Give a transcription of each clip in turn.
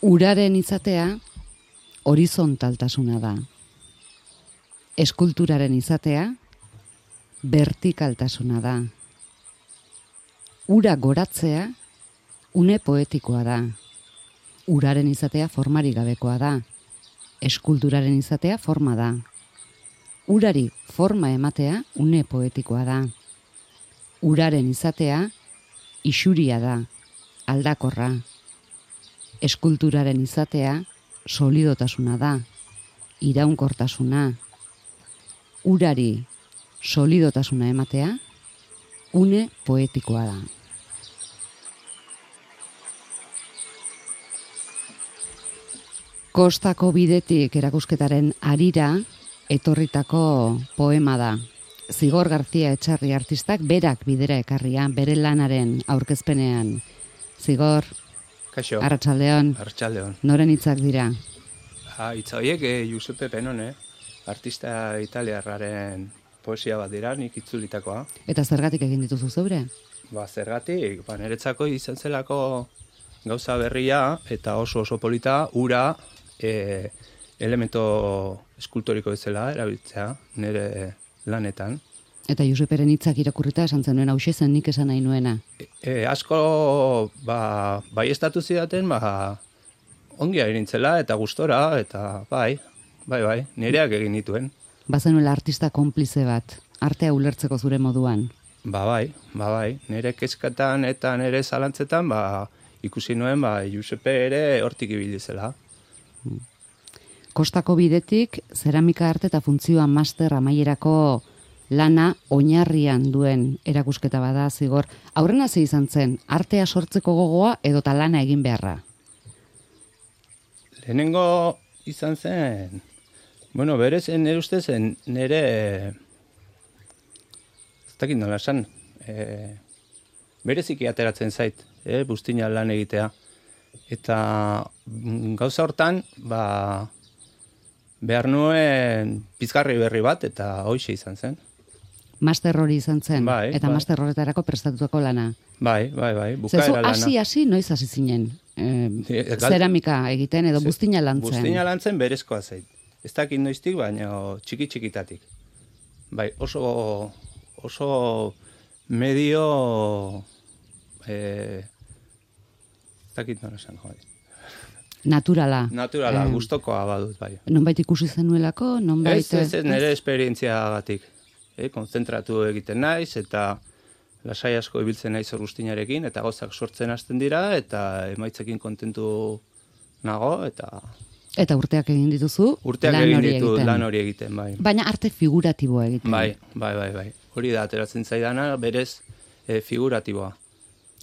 Uraren izatea horizontaltasuna da. Eskulturaren izatea vertikaltasuna da. Ura goratzea une poetikoa da. Uraren izatea formarik gabekoa da. Eskulturaren izatea forma da. Urari forma ematea une poetikoa da. Uraren izatea isuria da, aldakorra. Eskulturaren izatea solidotasuna da, iraunkortasuna. Urari solidotasuna ematea une poetikoa da. Kostako bidetik erakusketaren harira etorritako poema da. Zigor García Etxarri artistak berak bidera ekarria, bere lanaren aurkezpenean. Zigor, Kaixo. Arratsaldeon. Arratsaldeon. Noren hitzak dira? Hitz horiek Giuseppe Penone, artista italiarraren poesia bat dira, nik itzulitakoa. Eta zergatik egin dituzu zeure? Zergatik, niretzako izan zelako gauza berria eta oso polita, ura elemento eskultoriko bezala erabiltzea nire lanetan. Eta Joseperen hitzak irakurrita esan zenuen hauxe zen nik esan nahi nuena. Asko baiestatu zidaten, ongi airintzela eta gustora, eta bai, nireak egin dituen. Bazenuela artista konplize bat, artea ulertzeko zure moduan. Bai, nire kezkatan eta nire zalantzetan, ikusi nuen, Giuseppe ere hortik ibili zela. Kostako bidetik, zeramika arte eta funtzioa master amaierako lana oinarrian duen erakusketa bada, Zigor. Aurrena ze izan zen, artea sortzeko gogoa edota lana egin beharra? Lehenengo izan zen, berez, nire ustezen, nire, ez dakit nola esan, bereziki ateratzen zait, buztina lan egitea. Eta gauza hortan, behar nuen pizgarri berri bat, eta hoxe izan zen. Master hori izan zen, Bai, eta master horretarako prestatutako lana. Bai, bukaera lana. Hasi, noiz hasi zinen? Zeramika egiten edo buztina lantzen? Buztina lantzen berezkoa zait. Ez dakit noiztik, baina txiki-txikitatik. Bai, oso medio... ez dakit nola esan, jode. Naturala. Naturala, gustokoa badut, bai. Nonbait ikusi zenuelako, nonbait... Ez, nire esperientziagatik. Konzentratu egiten naiz, eta lasai asko ibiltzen naiz guztinarekin, eta gauzak sortzen hasten dira, eta emaitzekin kontentu nago, eta... Eta urteak egin dituzu, lan hori egiten, bai. Baina arte figuratiboa egiten. Bai. Hori da, ateratzen zaidana, berez figuratiboa.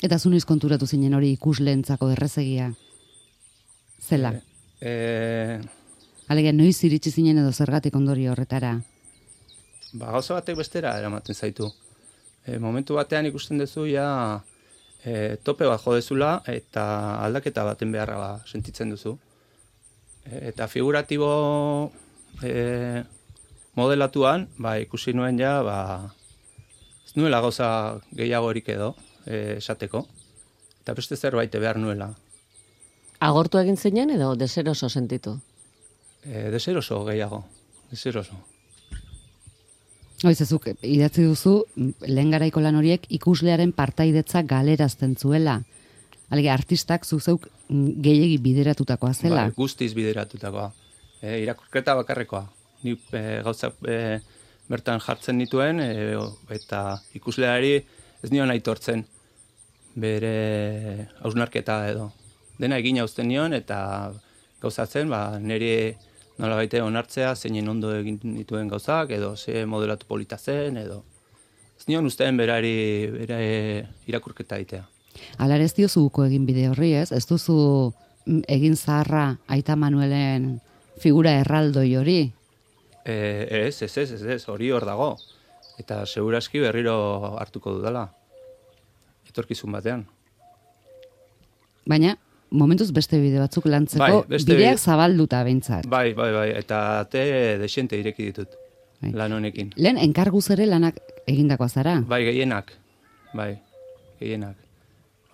Eta zu noiz konturatu zinen hori ikusleentzako errezegia? Zela? Alegia, noiz iritsi zinen edo zergatik ondori horretara? Gauza batek bestera eramaten zaitu. Momentu batean ikusten duzu, tope bat jodezula, eta aldaketa baten beharra sentitzen duzu. Eta figuratibo modelatuan, ikusi nuen ez nuela gauza gehiagorik edo, esateko, eta beste zerbait behar nuela. Agortu egin zinen edo deseroso sentitu? Deseroso gehiago, deseroso. Oizezuk, idatzi duzu, lehen garaiko lan horiek ikuslearen partaidetza galerazten zuela. Alge, artistak zuzeuk gehiegi bideratutakoa zela. Guztiz bideratutakoa. Irakurketa bakarrekoa. Ni gauzak bertan jartzen nituen, eta ikusleari ez nion aitortzen bere hausnarketa edo. Dena egin uzten nion, eta gauzatzen, niri nola baite onartzea, zeinen ondo egin dituen gauzak, edo ze modelatu polita zen, edo... Ez nion ustean bere irakurketa egitea. Alar ez diozuko egin bide horri, ez? Ez duzu egin zaharra Aita Manuelen figura erraldoi hori? Ez, hori hor dago. Eta seguraski berriro hartuko dudala. Etorkizun batean. Baina, momentuz beste bide batzuk lantzeko, bideak zabalduta behintzat. Bai, eta ate desiente ireki ditut, lan honekin. Lehen, enkarguz ere lanak egindakoa zara? Bai, gehienak.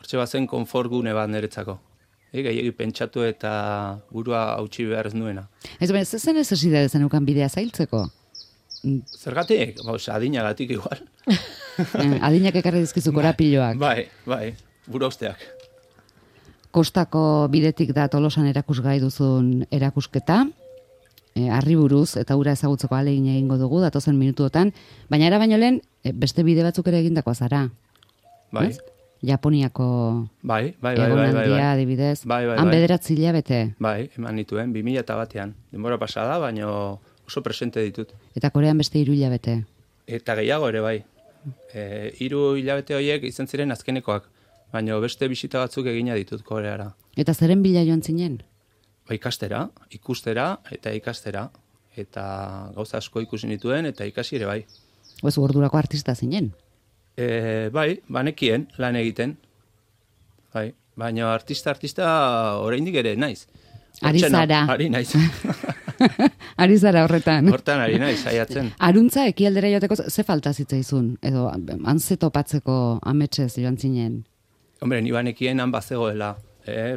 Hortxe bazen konfort gune bat niretzako. gehiagi pentsatu eta burua hautsi behar ez nuena. Ez zen ez esidade zenukan bidea zailtzeko? Zergatik? Adinagatik igual. Adinak ekarri dizkizu korapiloak. Bai, buru usteak. Kostako bidetik da Tolosan erakusgai duzun erakusketa, harri buruz, eta ura ezagutzeko ahalegin egingo dugu, datozen minutuotan, baina era baino lehen, beste bide batzuk ere egindakoa zara. Bai. Ez? Japoniako Bai. egonaldia, adibidez. Han 9 hilabete. Bai, eman nituen, 2001. Denbora pasada, baino oso presente ditut. Eta Korean beste 3 hilabete. Eta gehiago ere bai. 3 hilabete horiek izan ziren azkenekoak, baino beste bisita batzuk egina ditut Koreara. Eta zeren bila joan zinen? Ba, ikustera eta ikastera. Eta gauza asko ikusi nituen eta ikasi ere bai. Oez, ordurako artista zinen? Bai, banekien lan egiten. Bai, baina artista oraindik ere naiz. Ari zara. Ari naiz. Ari zara horretan. Hortan ari naiz, saiatzen. Aruntza ekialdera joateko ze falta zitzaizun? Edo antze topatzeko ametsez joan zinen? Hombre, ni banekien han bazegoela.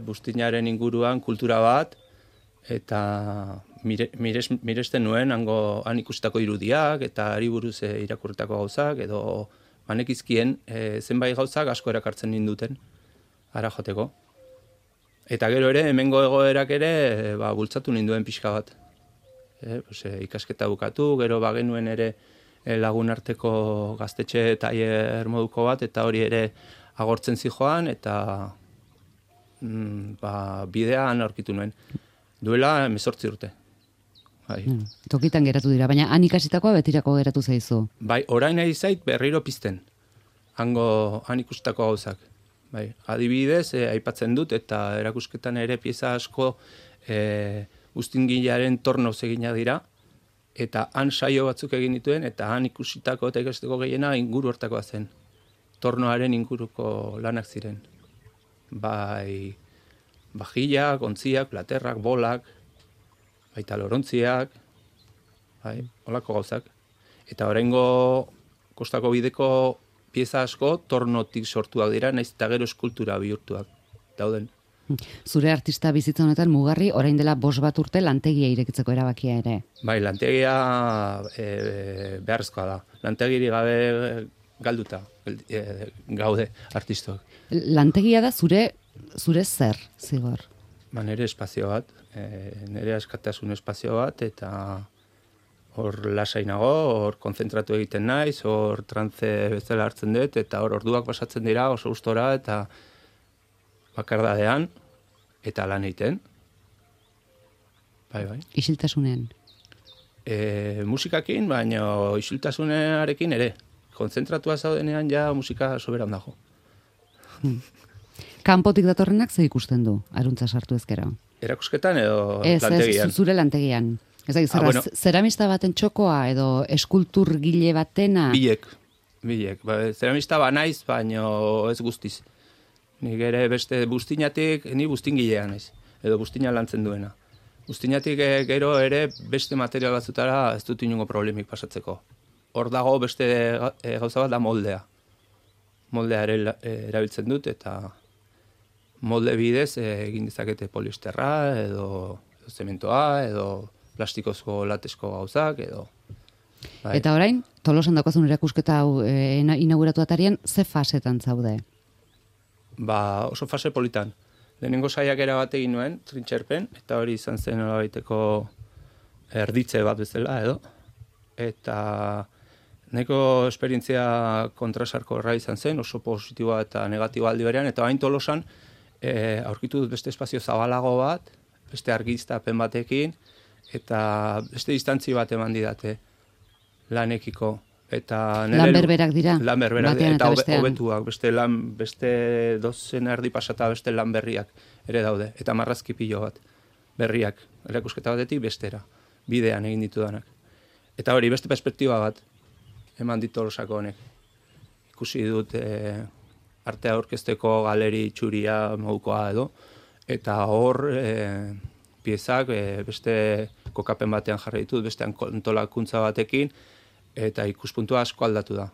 Bustinaren inguruan kultura bat, eta miresten nuen han ikustako irudiak, eta ari buruz irakurretako gauzak, edo banekizkien zenbait gauzak asko erakartzen ninduten, ara joteko. Eta gero ere, hemengo egoerak ere, bultzatu ninduen pixka bat. Ikasketa bukatu, gero bagenuen ere lagun arteko gaztetxe tailer moduko bat, eta hori ere agortzen zijoan, eta bidean aurkitu nuen. Duela 18 urte. Bai. Tokitan geratu dira, baina han ikasitakoa betirako geratu zaizu. Bai, orain nahi zait berriro pizten. Han ikustako gauzak. Bai, adibidez, aipatzen dut, eta erakusketan ere pieza asko Bustingilearen tornoz egina dira, eta han saio batzuk egin dituen, eta han ikusitako eta ikasteko gehiena inguru hortakoa zen. Tornoaren inguruko lanak ziren. Bai, bajillak, ontziak, platerrak, bolak, baita lorontziak, bai, holako gauzak. Eta oraingo kostako bideko pieza asko tornotik sortuak dira, naiz eta gero eskultura bihurtuak dauden. Zure artista bizitza honetan mugarri orain dela 5 urte lantegia irekitzeko erabakia ere. Bai, lantegia beharrezkoa da. Lantegiri gabe galduta gaude artistok. Lantegia da zure zer, Zigor? Nire espazio bat, nire askatasun espazio bat, eta hor lasainago, hor konzentratu egiten naiz, hor trantze bezala hartzen dut, eta hor orduak pasatzen dira oso gustora, eta bakardadean, eta lan egiten. Bai. Isiltasunean? Musikakin, baina isiltasunarekin ere. Kontzentratua zaudenean ja musika soberan dago. Kanpotik datorrenak ze ikusten du, aruntza sartu ezkero? Erakusketan edo lantegian? Ez, zure lantegian. Ez da, zeramista baten txokoa edo eskulturgile batena? Bilek. Zeramista naiz, baina ez guztiz. Nik ere beste bustinatik, ni bustingilean naiz, edo bustina lantzen duena. Bustinatik gero ere beste material batzutara ez dut inongo problemik pasatzeko. Hor dago beste gauza bat da moldea. Moldea ere erabiltzen dut, eta molde bidez egin dezakete poliesterra, edo zementoa, edo plastikozko latesko gauzak, edo... Bai. Eta orain, Tolosan daukazun erakusketa hau inauguratu atarian, ze fasetan zaude? Oso fase politan. Lehenengo saiakera bat egin nuen, trintxerpen, eta hori izan zen nolabaiteko erditze bat bezala, edo. Eta nahiko esperientzia kontrasarkorra izan zen, oso positiboa eta negatiboa aldi berean, eta hain Tolosan aurkitu dut beste espazio zabalago bat, beste argiztapen batekin, eta beste distantzi bat eman didate lanekiko. Lan berberak dira? Lan berberak dira, eta hobetuak, beste dozen erdi pasata beste lan berriak ere daude, eta marrazki pilo bat berriak, erakusketa batetik bestera, bidean egin ditudanak. Eta hori, beste perspektiba bat eman dit Tolosako honek. Ikusi dut artea aurkezteko galeri txuria modukoa edo, eta hor piezak beste kokapen batean jarri ditut, beste antolakuntza batekin, eta ikuspuntua asko aldatu da,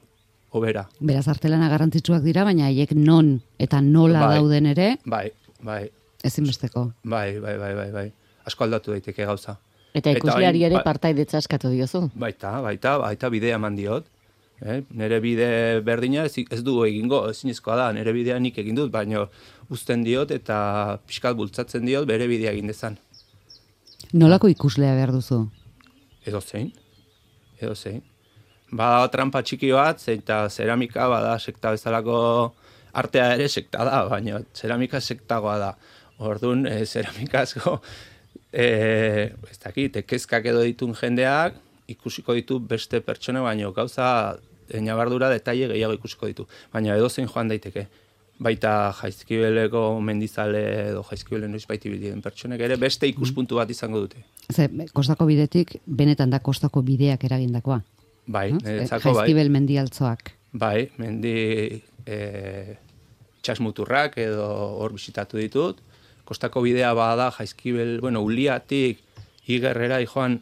hobera. Beraz, artelana garrantzitsuak dira, baina haiek non eta nola dauden ere? Bai. Ezinbesteko. Bai. Asko aldatu daiteke gauza. Eta ikusleari orain, ere partaidetza eskatu diozu. Baita bidea eman diot. Nere bide berdina ez du egingo, ezinezkoa da, nere bidea nik egin dut, baina uzten diot eta pixkat bultzatzen diot bere bidea egin dezan. Nolako ikuslea behar duzu? Edo zein. Bada trampa txiki bat, eta zeramika bada sekta bezalako artea ere sekta da, baina zeramika sektagoa da. Orduan, zeramika asko, ez dakit, kezkak edo ditun jendeak, ikusiko ditu beste pertsona, baina gauza ñabardura detaile gehiago ikusiko ditu. Baina edozein joan daiteke. Baita Jaizkibeleko mendizale edo Jaizkibelen noizbait ibili den pertsonek ere beste ikuspuntu bat izango dute. Kostako bidetik, benetan da kostako bideak eragindakoa. Bai, niretzako bai. Jaizkibel mendialtzoak. Bai, mendi txasmuturrak edo hor bisitatu ditut. Kostako bidea bada Jaizkibel, Uliatik Igerrera joan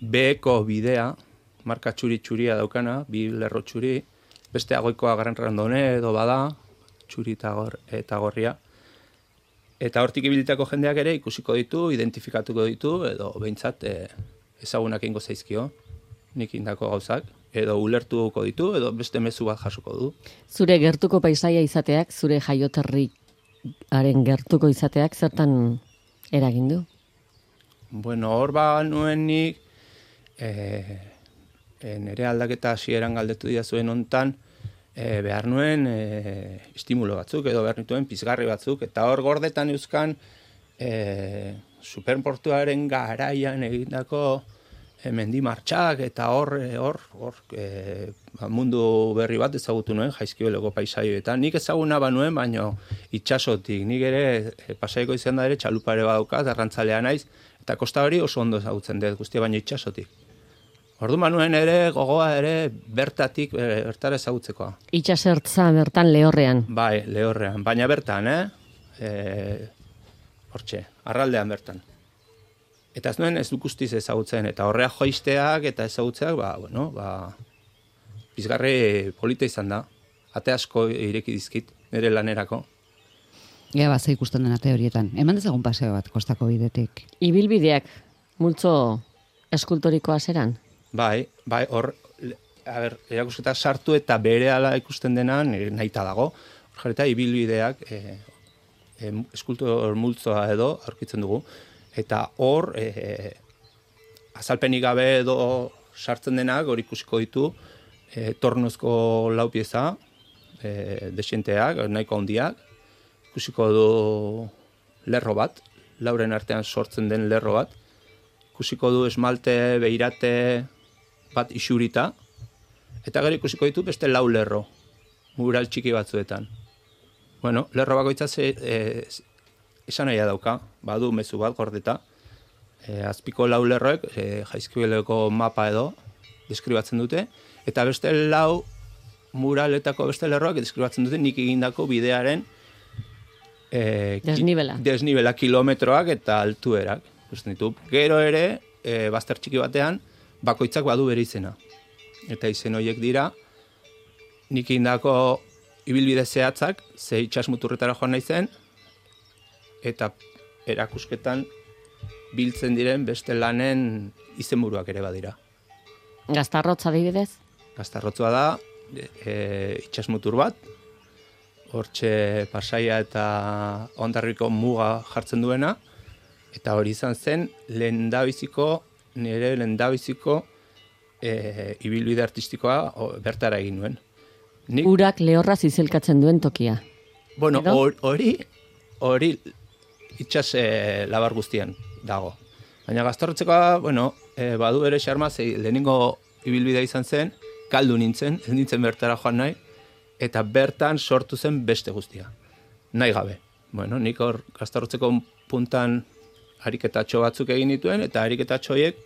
beheko bidea, marka txuri-txuria daukana, 2 lerro txuri, beste agoikoa Gran Randone edo bada, txuri eta gorria. Eta hortik ibilitako jendeak ere ikusiko ditu, identifikatuko ditu, edo behintzat ezagunak ingo zaizkio, nik indako gauzak, edo ulertuko ditu, edo beste mezu bat jasoko du. Zure gertuko paisaia izateak, zure jaioterriaren gertuko izateak, zertan eragin du? Hor nuen nik, nire aldaketa hasieran galdetu dira zuen hontan, behar nuen estimulo batzuk, edo behar nituen pizgarri batzuk, eta hor gordetan euskan superportuaren garaian egindako mendi martxak, eta hor mundu berri bat ezagutu nuen Jaizkibeleko paisaioetan. Nik ezaguna banuen, baino itxasotik. Nik ere pasaiko izan da ere txalupare badaukat, arrantzalea naiz, eta kosta hori oso ondo ezagutzen dut, guztia baino itxasotik. Ordu manuen ere, gogoa ere, bertatik, bertara ezagutzekoa. Itxasertza bertan Lehorrean. Bai, Lehorrean, baina bertan, hortxe, arraldean bertan. Eta ez nuen ez duk guztiz ezagutzen, eta horrea joisteak eta ezagutzeak, pizgarri polita izan da. Ate asko ireki dizkit, nire lanerako. Ea ze ikusten den ate horietan. Eman dezagun paseo bat, kostako bidetik. Ibilbideak, multzo eskultorikoa zeran? Bai, hor, erakusketa sartu eta berehala ikusten dena nahita dago. Hor jarreta, ibilbideak eskultor multzoa edo aurkitzen dugu. Eta hor, azalpenik gabe edo sartzen denak, hor ikusiko ditu, tornozko lau pieza, desienteak, nahiko handiak, ikusiko du lerro bat, lauren artean sortzen den lerro bat, ikusiko du esmalte, beirate bat isurita, eta gero ikusiko ditu beste 4 lerro, mural txiki batzuetan. Lerro bakoitza esan nahia dauka, badu mezu bat gordeta, azpiko 4 lerroek Jaizkibeleko mapa edo deskribatzen dute, eta beste 4 muraletako beste lerroak deskribatzen dute nik egindako bidearen desnibela kilometroak eta altuerak. Gero ere, bazter txiki batean, bakoitzak badu bere izena. Eta izen horiek dira, nik egindako ibilbide zehatzak, ze itxasmuturretara joan naizen, eta erakusketan biltzen diren beste lanen izenburuak ere badira. Gaztarrotza adibidez? Gaztarrotzua da, itxasmutur bat, hortxe Pasaia eta Hondarribiko muga jartzen duena, eta hori izan zen nire lehendabiziko ibilbide artistikoa bertara egin nuen. Urak lehorraz izelkatzen duen tokia. Hori itxas labar guztian dago. Baina Gaztarrotzekoa, badu ere xarma, lehenengo ibilbidea izan zen, kaldu nintzen, ez nintzen bertara joan nahi, eta bertan sortu zen beste guztia. Nahi gabe. Nik hor Gaztarrotzeko puntan ariketatxo batzuk egin dituen, eta ariketatxoiek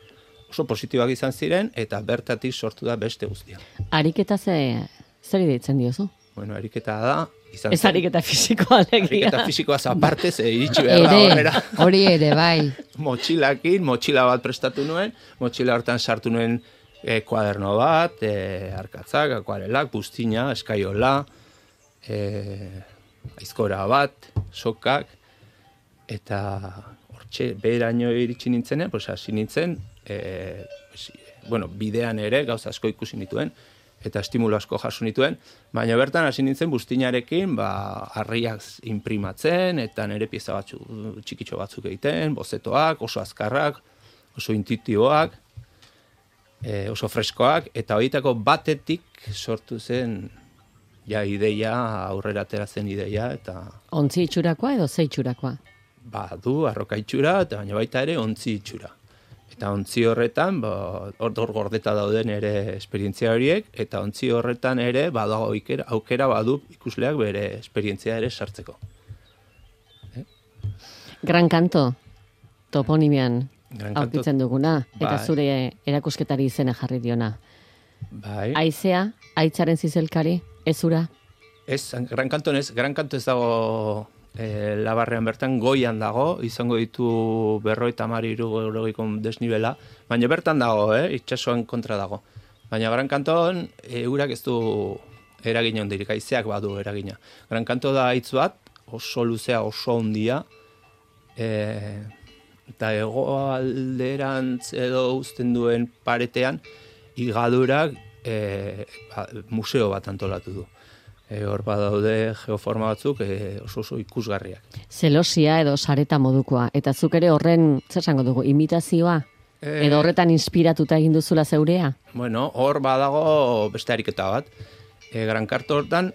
oso positiboak izan ziren, eta bertatik sortu da beste guztia. Ariketa zer deitzen diozu? Ariketa da, izan zen. Ez ariketa fisikoa alegia. Ariketa fisikoaz aparte, iritsi behar da horrela. Hori ere, bai. Motxila bat prestatu nuen, motxila hortan sartu nuen kuaderno bat, arkatzak, akuarelak, buztina, eskaiola, aizkora bat, sokak, eta hortxe beheraino iritsi nintzenean, pues hasi nintzen, bidean ere gauza asko ikusi nituen, eta estimulo asko jaso nituen, baina bertan hasi nintzen buztinarekin, harriak imprimatzen, eta nire pieza txikitxo batzuk egiten, bozetoak, oso azkarrak, oso intuitiboak, oso freskoak, eta horietako batetik sortu zen ideia, aurrera ateratzen ideia, eta... Ontzi itxurakoa edo ze itxurakoa? Du, arroka itxura, eta baina baita ere ontzi itxura. Eta ontzi horretan, hor gordeta dauden ere esperientzia horiek, eta ontzi horretan ere badago aukera badu ikusleak bere esperientzia ere sartzeko. Gran Kanto, toponimian aurkitzen duguna, eta zure erakusketari izena jarri diona. Bai. Aizea, aitzaren zizelkari, ez ura? Ez, Gran Kanto ez dago Labarrean bertan, goian dago, izango ditu 50-60 desnibela, baina bertan dago, itsasoan kontra dago. Baina Gran Kanton urak ez du eragina hondirik, haizeak badu eragina. Gran Kanto da hitz bat, oso luzea, oso hondia, eta hegoalderantz edo uzten duen paretean, igadurak museo bat antolatu du. Hor badaude geoforma batzuk oso ikusgarriak. Zelosia edo sareta modukoa. Eta zuk ere horren, zer esango dugu, imitazioa? Edo horretan inspiratuta egin duzula zeurea? Bueno, hor badago beste ariketa bat. Gran Kanto hortan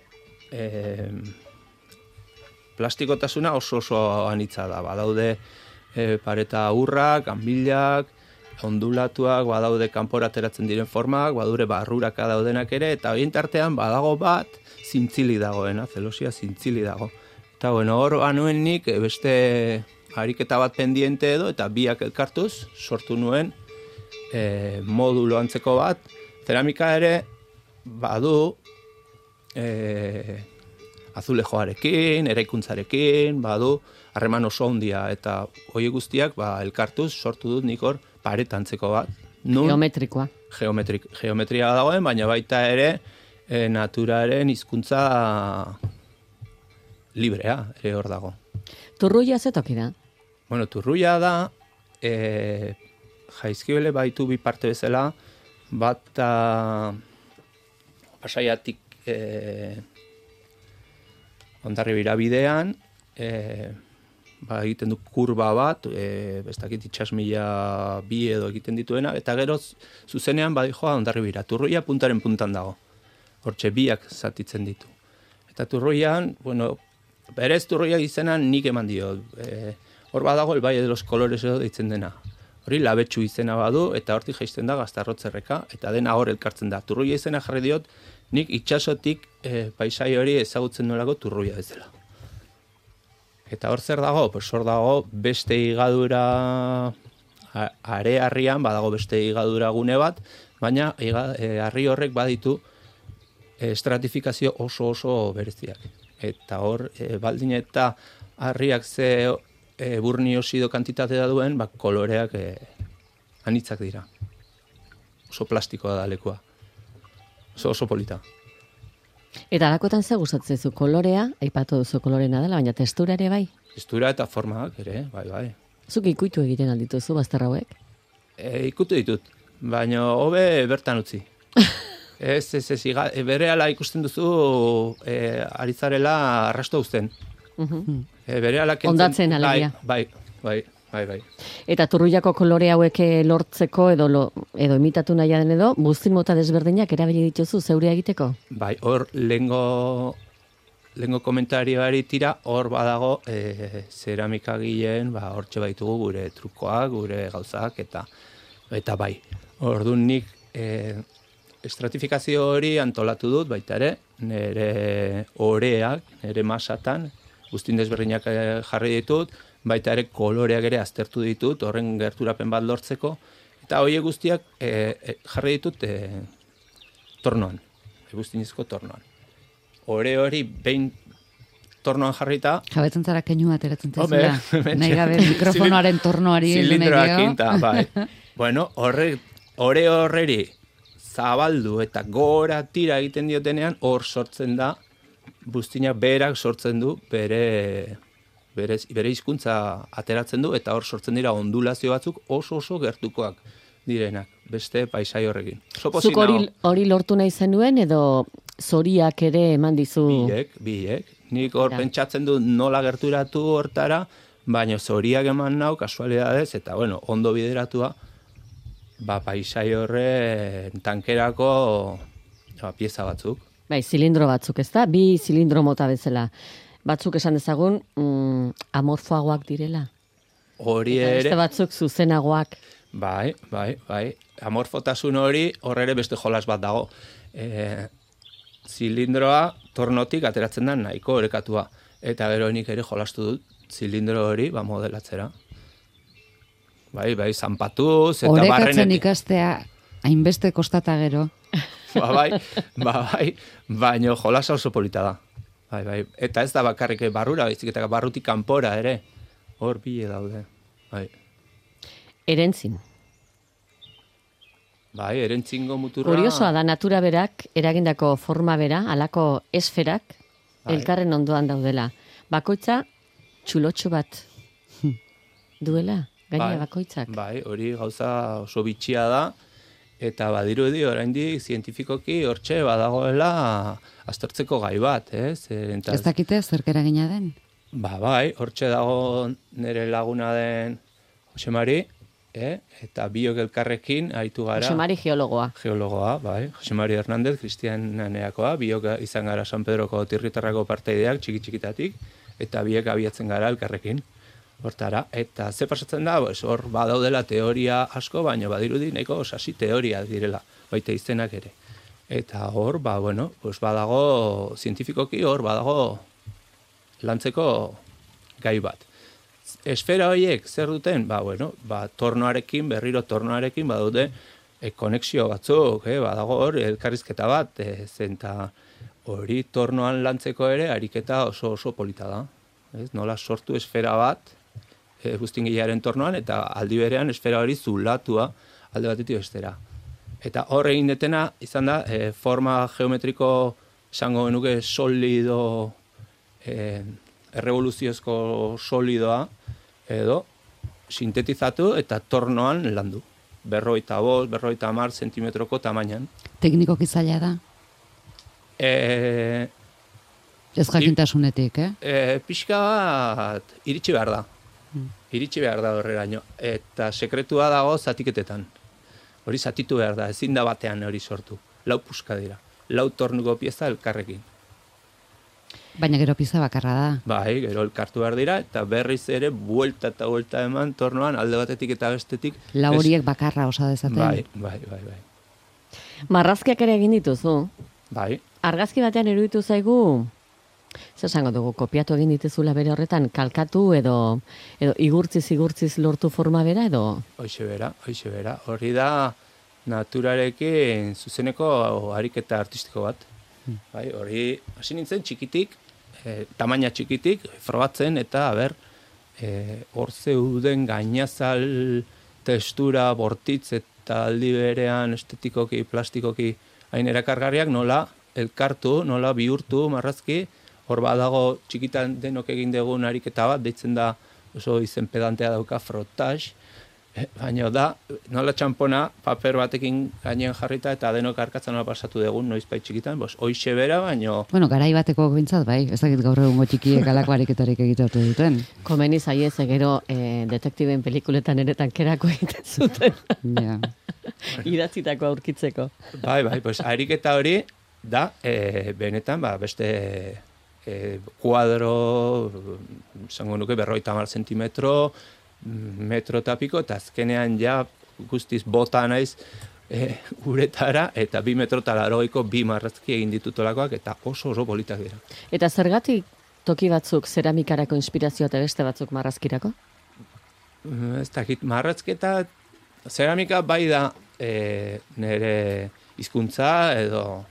plastikotasuna oso anitza da. Badaude pareta urrak, anbilak, ondulatuak, badaude kanpora ateratzen diren formak, badure barruraka daudenak ere, eta horien tartean badago bat, zintzili dagoena, zelosia zintzili dago. Eta hor banuen nik beste ariketa bat pendiente edo, eta biak elkartuz sortu nuen modulo antzeko bat. Zeramika ere badu azulejoarekin, eraikuntzarekin, badu harreman oso handia, eta hori guztiak elkartuz sortu dut nik hor paretantzeko bat. Geometrikoa. Geometria dagoen, baina baita ere naturaren hizkuntza librea ere hor dago. Turruia zetoki da? Bueno, Turruia da, Jaizkibele baitu bi parte bezala, bat Pasaiatik Hondarribira bidean, egiten du kurba bat, bestakit itxasmila bi edo egiten dituena, eta gero zuzenean badijoa Hondarribira. Turruia puntaren puntan dago. Hortxe biak zatitzen ditu. Eta Turruian, berez Turruia izenan nik eman dio. Hor badago el Valle de los Colores edo deitzen dena. Hori labetxu izena badu, eta hortik jaisten da Gaztarrotzerreka, eta dena hor elkartzen da. Turruia izena jarri diot, nik itxasotik paisai hori ezagutzen nolako Turruia ez dela. Eta hor zer dago? Hor dago beste higadura are-harrian, badago beste higadura gune bat, baina harri horrek baditu estratifikazio oso bereziak. Eta hor, baldin eta harriak ze burniosido kantitatea duen, koloreak anitzak dira. Oso plastikoa da lekua. Oso polita. Eta alakotan ze gustatzen zu kolorea, aipatu duzu kolorena dela, baina testura ere bai? Testura eta formak ere, bai. Zuk ikuitu egiten aldituzu bazter hauek? Ikutu ditut, baina hobe bertan utzi. Ez, berehala ikusten duzu aritzarela arrasto uzten. Berehala kentzen. Ondatzen alegia. Bai. Eta Turruiako kolore hauek lortzeko edo imitatu nahi den edo, buztin mota desberdinak erabili dituzu zeurea egiteko? Bai, hor lehengo komentarioari tira, hor badago zeramikagileen, hortxe baitugu gure trukoak, gure gauzak, eta bai. Orduan nik estratifikazio hori antolatu dut, baita ere, nire oreak, nire masatan, guztin desberdinak jarri ditut, baita ere koloreak ere aztertu ditut, horren gerturapen bat lortzeko, eta horiek guztiak jarri ditut tornoan, guztinizko tornoan. Hori behin tornoan jarrita... Jabetzen zara keinu ateratzen zezula, nahi gabe mikrofonoaren tornoari zilindroakin, bai. Bueno, horreri zabaldu eta gora tira egiten diotenean, hor sortzen da, buztinak berak sortzen du bere bere hizkuntza ateratzen du, eta hor sortzen dira ondulazio batzuk oso gertukoak direnak, beste paisai horrekin. Zuk hori lortu nahi zenuen, edo zoriak ere eman dizu? Biek. Nik hor pentsatzen du nola gerturatu hortara, baina zoriak eman nau, kasualidadez, eta bueno, ondo bideratua, paisai horren tankerako pieza batzuk. Bai, zilindro batzuk, ez da? Bi zilindro mota bezala. Batzuk esan dezagun, amorfoagoak direla. Hori ere... Beste batzuk zuzenagoak. Bai. Amorfotasun hori, ere beste jolas bat dago. Zilindroa tornotik ateratzen da nahiko orekatua. Eta gero nik ere jolastu dut zilindro hori modelatzera. Bai, zanpatuz eta barrenetik. Orekatzen ikastea hainbeste kostata gero. Bai, baina jolasa oso polita da. Bai. Eta ez da bakarrik barrura, baizik eta barrutik kanpora ere. Hor bile daude. Bai. Erentzin. Bai, erentzingo muturra... Kuriosoa da, natura berak, eragindako forma bera, halako esferak, elkarren ondoan daudela. Bakoitza, txulotxo bat duela, gaina bakoitzak. Bai, hori gauza oso bitxia da, eta badirudi oraindik zientifikoki hortxe badagoela aztertzeko gai bat, ez? Ez dakite zerk eragina den? Bai, hortxe dago nire laguna den Jose Mari, eta biok elkarrekin aritu gara. Jose Mari geologoa. Geologoa, bai. Jose Mari Hernández, Kristiananeakoa, biok izan gara San Pedroko tirritarrako parteideak txiki-txikitatik, eta biek abiatzen gara elkarrekin. Hortara, eta ze pasatzen da, hor badaudela teoria asko, baina badirudi nahiko sasi teoria direla, baita izenak ere. Eta hor, badago, zientifikoki hor badago lantzeko gai bat. Esfera horiek zer duten? Tornoarekin, berriro tornoarekin badaude konexio batzuk, badago hor elkarrizketa bat, zenta hori tornoan lantzeko ere ariketa oso polita da. Nola sortu esfera bat, guztingilearen tornoan, eta aldi berean esfera hori zulatua alde batetik bestera. Eta hor egin detena, izan da, forma geometriko esango genuke solido, errevoluziozko solidoa, edo sintetizatu eta tornoan landu. 45, 50 zentimetroko tamainan. Teknikoki zaila da? Ez jakintasunetik, Pixka bat iritsi behar da. Iritsi behar da horreraino. Eta sekretua dago zatiketetan. Hori zatitu behar da, ezin da batean hori sortu. 4 puska dira. 4 tornuko pieza elkarrekin. Baina gero pieza bakarra da. Bai, gero elkartu behar dira, eta berriz ere buelta eta buelta eman tornoan alde batetik eta bestetik. 4 horiek bakarra osa dezaten. Bai. Marrazkiak ere egin dituzu? Bai. Argazki batean iruditu zaigu, zer esango dugu, kopiatu egin dituzula bere horretan, kalkatu edo igurtziz lortu forma bera edo? Hoixe bera. Hori da naturarekin zuzeneko ariketa artistiko bat. Bai, hori hasi nintzen txikitik, tamaina txikitik, frogatzen eta hor zeuden gainazal testura bortitz eta aldi berean estetikoki, plastikoki hain erakargarriak nola elkartu, nola bihurtu marrazki, hor badago txikitan denok egin dugun ariketa bat, deitzen da oso izen pedantea dauka frotage, baina da, nola txampona paper batekin gainean jarrita eta denok arkatzen nola pasatu dugun noizbait txikitan, hoixe bera, baina... Bueno, garai bateko bintzat, bai, ez dakit gaur egungo txikiek alako ariketarik egitatu duten. Komeni zaiez, gero detektiben pelikuletan ere tankerako egiten zuten. Ja. Idatzitako aurkitzeko. Bai, ariketa hori da, benetan, beste kuadro, zango nuke, 50 zentimetro, metro eta piko, eta azkenean ja guztiz bota naiz uretara, eta 2 metro eta 2 marrazki egin ditutolakoak, eta oso politak dira. Eta zergatik toki batzuk zeramikarako inspirazioa eta beste batzuk marrazkirako? Ez dakit, marrazketa zeramika bai da nire hizkuntza edo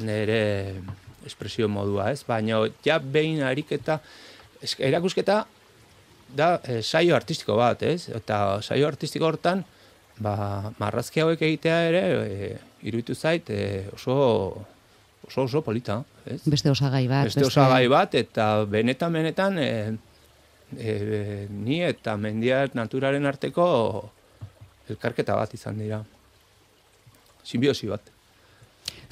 nire espresio modua, ez? Baina ja behin ariketa, erakusketa da saio artistiko bat, ez? Eta saio artistiko hortan, marrazki hauek egitea ere, iruditu zait, oso polita, ez? Beste osagai bat. Beste osagai bat, eta benetan, Ni eta mendia naturaren arteko elkarketa bat izan dira. Simbiosi bat.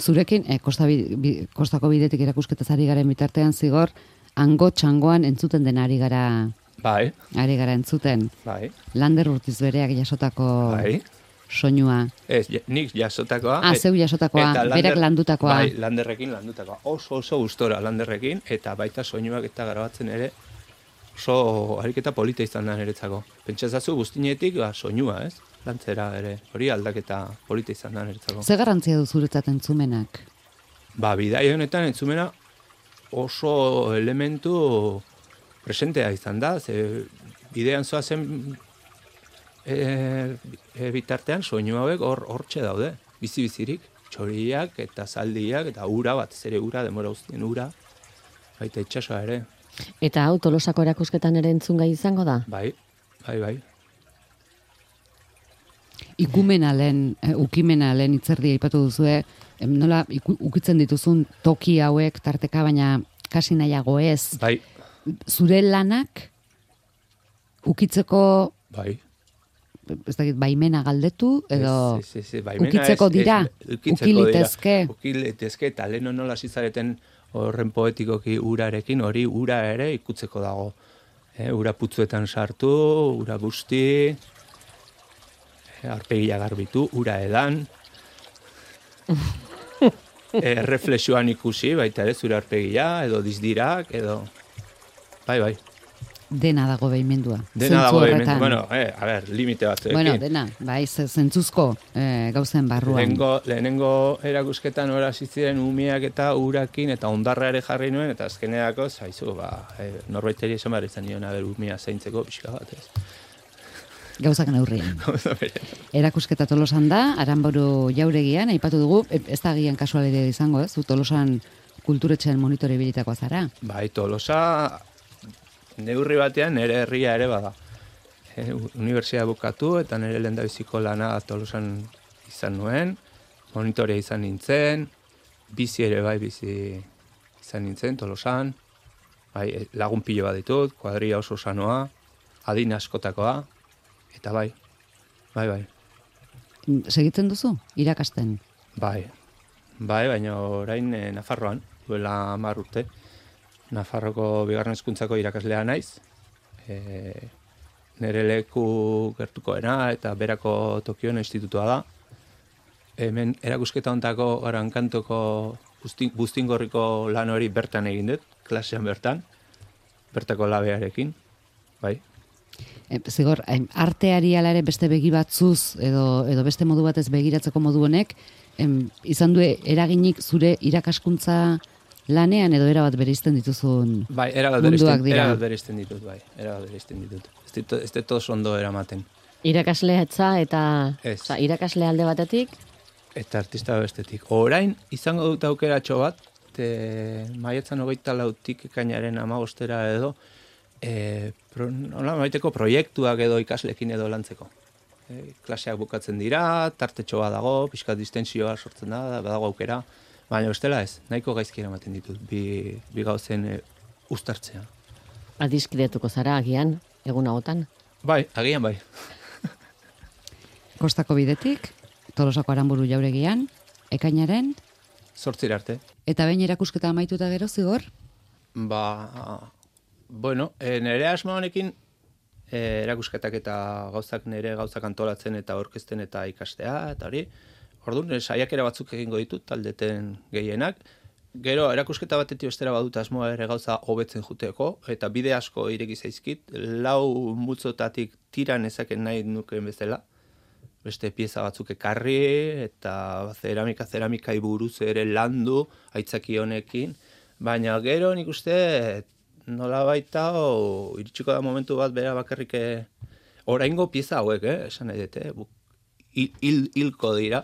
Zurekin, kostako bidetik erakusketaz ari garen bitartean zigor, hango txangoan entzuten den ari gara Bai. Ari gara entzuten. Bai. Lander Urtiz bereak jasotako soinua. Ez, nik jasotakoa. Zeu jasotakoa, berak landutakoa. Bai, Landerrekin landutakoa. Oso gustora Landerrekin, eta baita soinuak eta grabatzen ere oso ariketa polita izan da niretzako. Pentsazazu guztinetik soinua, ez? Lantzera ere, hori aldaketa polita izan da niretzako. Ze garrantzia du zuretzat entzumenak? Bidai honetan entzumena oso elementu presentea izan da, ze bidean zoazen bitartean soinu hauek hortxe daude, bizi-bizirik, txoriak eta zaldiak eta ura bat, zere ura, demora guztien ura, baita itxasoa ere. Eta hau Tolosako erakusketan ere entzungai izango da? Bai. Ukimena lehen itzerdia aipatu duzue, nola ukitzen dituzun toki hauek tarteka, baina kasi nahiago ez. Bai. Zure lanak ukitzeko Bai. Ez dakit, baimena galdetu, edo baimena ukitzeko dira, ukilitezke. Ukilitezke, eta lehen nola zizareten horren poetikoki urarekin, hori ura ere ikutzeko dago. Ura putzuetan sartu, ura busti, arpegia garbitu, ura edan, reflexioan ikusi, baita ere zure arpegia, edo dizdirak, edo... Bai. Dena dago behimendua. Dena dago behimendua, bueno, limite batzuekin. Bueno, dena, bai, zentzuzko gauzen barruan. Lehenengo erakusketan ora ziren umiak eta urakin, eta ondarra ere jarri nuen, eta azkeneako, zaizu, norbaiteri esan behar izan nion, umia zaintzeko pixka bat, ez. Gauzak neurrian. Erakusketa Tolosan da, Aranburu Jauregian, aipatu dugu, ez da gian kasualidea izango, ez? Tolosan kulturetxean monitore bilitakoa zara. Bai, Tolosa neurri batean nire herria ere bada. Unibertsia bukatu eta nire lehendabiziko lana Tolosan izan nuen, monitorea izan nintzen, bizi ere bizi izan nintzen Tolosan, lagun pilo bat ditut, kuadria oso sanoa, adin askotakoa, eta bai. Segitzen duzu, irakasten? Bai, baina orain Nafarroan, duela 10 urte. Nafarroko bigarren hezkuntzako irakaslea naiz. Nere leku gertukoena eta berako Tokion institutua da. Hemen erakusketa hontako Arankantoko Buztingorriko lan hori bertan egin dut, klasean bertako labearekin. Bai. Zigor, arteari ala ere beste begi batzuz edo beste modu batez begiratzeko modu honek, izan du eraginik zure irakaskuntza lanean edo erabat bereizten dituzun munduak dira? Erabat bereizten ditut. Ez dut oso ondo eramaten. Irakaslea etza eta irakaslea alde batetik? Eta artista bestetik. Orain, izango dut aukeratxo bat, maiatzan 24tik ekainaren 15 edo, baiteko proiektuak edo ikaslekin edo lantzeko. Klaseak bukatzen dira, tartetxo bat dago, pixka distensioa sortzen da, badago aukera, baina bestela ez, nahiko gaizki eramaten ditut, bi gauzen uztartzea. Adiskidetuko zara agian, egun agotan? Bai, agian bai. Kostako bidetik, Tolosako Aranburu Jauregian, ekainaren? 8 arte. Eta behin erakusketa amaituta gero, Zigor? Nire asmo honekin erakusketak eta nire gauzak antolatzen eta orkesten eta ikastea, eta hori, orduan, saiakera batzuk egingo ditut, taldeten gehienak. Gero, erakusketa batetik bestera badut asmoa ere gauza hobetzen juteko, eta bide asko ireki zaizkit, 4 multzotatik tiran ezaken nahi nukeen bezala. Beste pieza batzuk ekarri, eta zeramikai buruz ere landu, aitzaki honekin. Baina gero nik uste, nola baita, iritsiko da momentu bat bera bakarrik oraingo pieza hauek, esan nahi dute, hilko dira.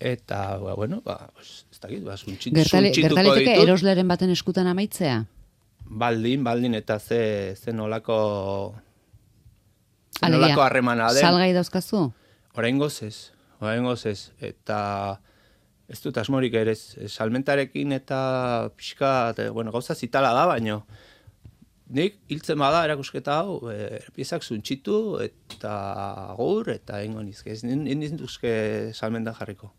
Eta, ez dakit, suntxituko ditut. Gertaliteke erosleren baten eskutan amaitzea? Baldin, eta ze nolako harremana den. Salgai dauzkazu? Oraingoz ez. Eta ez dut asmorik ere, salmentarekin eta pixka, gauza zitala da, nik hiltzen bada erakusketa hau, piezak zuntxitu eta agur eta ingo nizke. Ez ninduzke salmentan jarriko.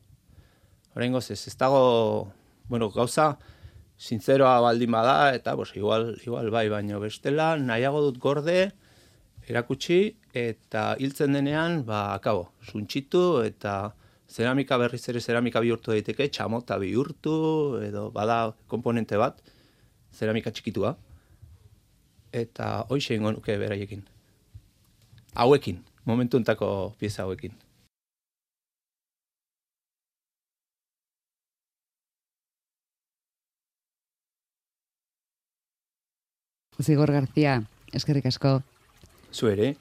Horrengoz ez dago, gauza, zintzeroa baldin bada, eta igual bai, baino bestela, nahiago dut gorde, erakutsi, eta hiltzen denean, akabo, zuntxitu, eta zeramika berriz ere zeramika bihurtu daiteke, txamota bihurtu, edo bada komponente bat, zeramika txikitua, eta hoixe ingo nuke beraiekin. Hauekin, momentu entako pieza hauekin. Zigor García, eskerrik asko. Zu ere.